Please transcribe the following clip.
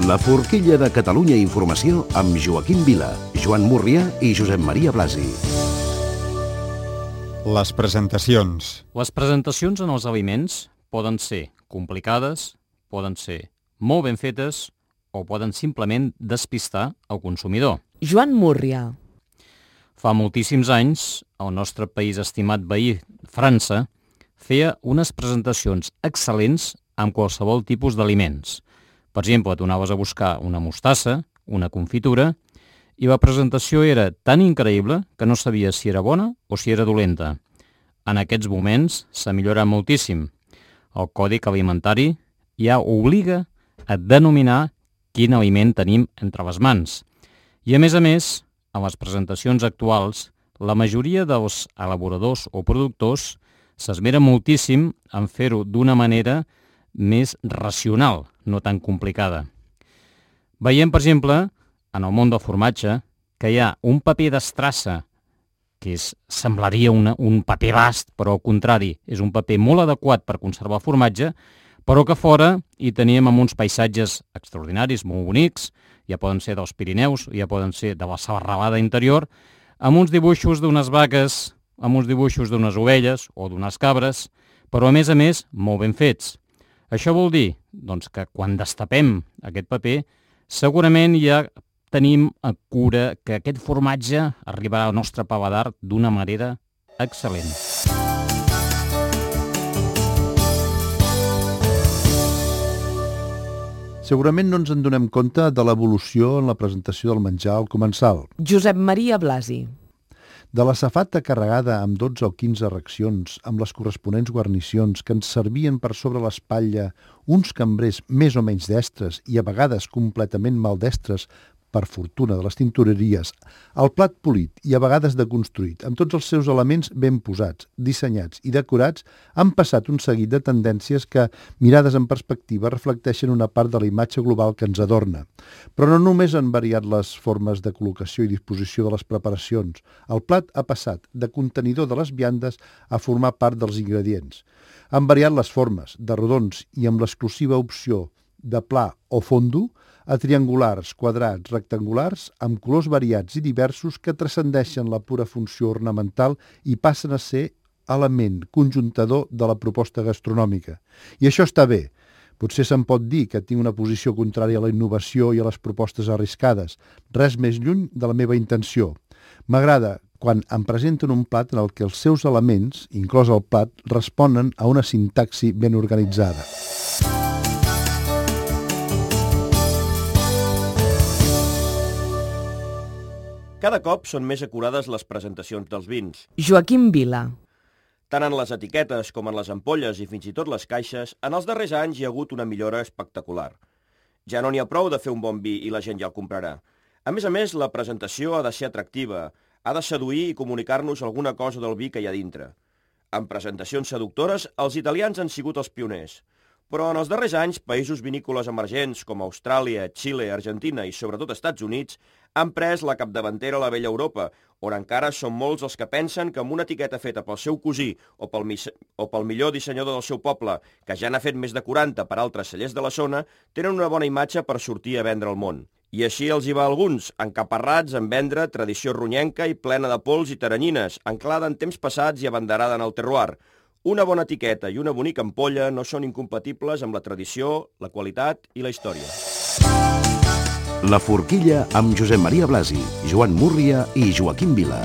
La forquilla de Catalunya Informació amb Joaquim Vila, Joan Múrria i Josep Maria Blasi. Les presentacions. Les presentacions en els aliments poden ser complicades, poden ser molt ben fetes o poden simplement despistar el consumidor. Joan Múrria. Fa moltíssims anys, el nostre país estimat veí, França, feia unes presentacions excel·lents amb qualsevol tipus d'aliments. Per exemple, tu anaves a buscar una mostassa, una confitura, i la presentació era tan increïble que no sabies si era bona o si era dolenta. En aquests moments s'ha millorat moltíssim. El Còdic Alimentari ja obliga a denominar quin aliment tenim entre les mans. I a més, en les presentacions actuals, la majoria dels elaboradors o productors s'esmeren moltíssim en fer-ho d'una manera més racional, no tan complicada. Veiem, per exemple, en el món del formatge, que hi ha un paper d'estrassa, que semblaria un paper bast, però al contrari, és un paper molt adequat per conservar el formatge, però que fora hi teníem amb uns paisatges extraordinaris, molt bonics, ja poden ser dels Pirineus, ja poden ser de la serralada interior, amb uns dibuixos d'unes vaques, amb uns dibuixos d'unes ovelles o d'unes cabres, però a més, molt ben fets. Això vol dir doncs, que quan destapem aquest paper, segurament ja tenim a cura que aquest formatge arribarà al nostre paladar d'una manera excel·lent. Segurament no ens en donem compte de l'evolució en la presentació del menjar al comensal. Josep Maria Blasi. De la safata carregada amb 12 o 15 racions, amb les corresponents guarnicions que ens servien per sobre l'espatlla uns cambrers més o menys destres i a vegades completament maldestres, per fortuna de les tintoreries, el plat polit i a vegades deconstruït, amb tots els seus elements ben posats, dissenyats i decorats, han passat un seguit de tendències que, mirades en perspectiva, reflecteixen una part de la imatge global que ens adorna. Però no només han variat les formes de col·locació i disposició de les preparacions. El plat ha passat de contenidor de les viandes a formar part dels ingredients. Han variat les formes, de rodons i amb l'exclusiva opció de pla o fondo, a triangulars, quadrats, rectangulars, amb colors variats i diversos que transcendeixen la pura funció ornamental i passen a ser element conjuntador de la proposta gastronòmica. I això està bé. Potser se'n pot dir que tinc una posició contrària a la innovació i a les propostes arriscades. Res més lluny de la meva intenció. M'agrada quan em presenten un plat en el que els seus elements, inclòs el plat, responen a una sintaxi ben organitzada. Cada cop són més acurades les presentacions dels vins. Joaquim Vila. Tant en les etiquetes com en les ampolles i fins i tot les caixes, en els darrers anys hi ha hagut una millora espectacular. Ja no n'hi ha prou de fer un bon vi i la gent ja el comprarà. A més, la presentació ha de ser atractiva, ha de seduir i comunicar-nos alguna cosa del vi que hi ha dintre. En presentacions seductores, els italians han sigut els pioners. Però en els darrers anys, països vinícoles emergents com Austràlia, Xile, Argentina i sobretot Estats Units han pres la capdavantera a la vella Europa, on encara són molts els que pensen que amb una etiqueta feta pel seu cosí o pel millor dissenyador del seu poble, que ja n'ha fet més de 40 per altres cellers de la zona, tenen una bona imatge per sortir a vendre al món. I així els hi va a alguns, encaparrats en vendre tradició runyenca i plena de pols i taranyines, anclada en temps passats i abanderada en el terroir. Una bona etiqueta i una bonica ampolla no són incompatibles amb la tradició, la qualitat i la història. La forquilla amb Josep Maria Blasi, Joan Múrria i Joaquim Vila.